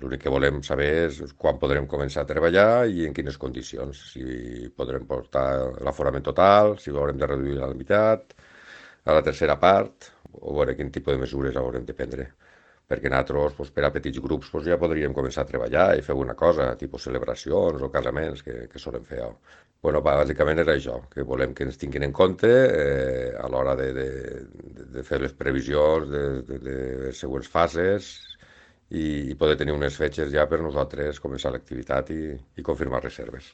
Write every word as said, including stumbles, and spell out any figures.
L'únic que volem saber és quan podrem començar a treballar i en quines condicions. Si podrem portar l'aforament total, si haurem de reduir a la meitat, a la tercera part, o veure quin tipus de mesures haurem de prendre. Perquè nosaltres, doncs, per a petits grups, doncs, ja podríem començar a treballar i fer alguna cosa, tipus celebracions o casaments que, que solen fer. Bueno, bàsicament era això, que volem que ens tinguin en compte eh, a l'hora de, de, de fer les previsions de, de, de les següents fases i, i poder tenir unes fetges ja per nosaltres començar l'activitat i, i confirmar reserves.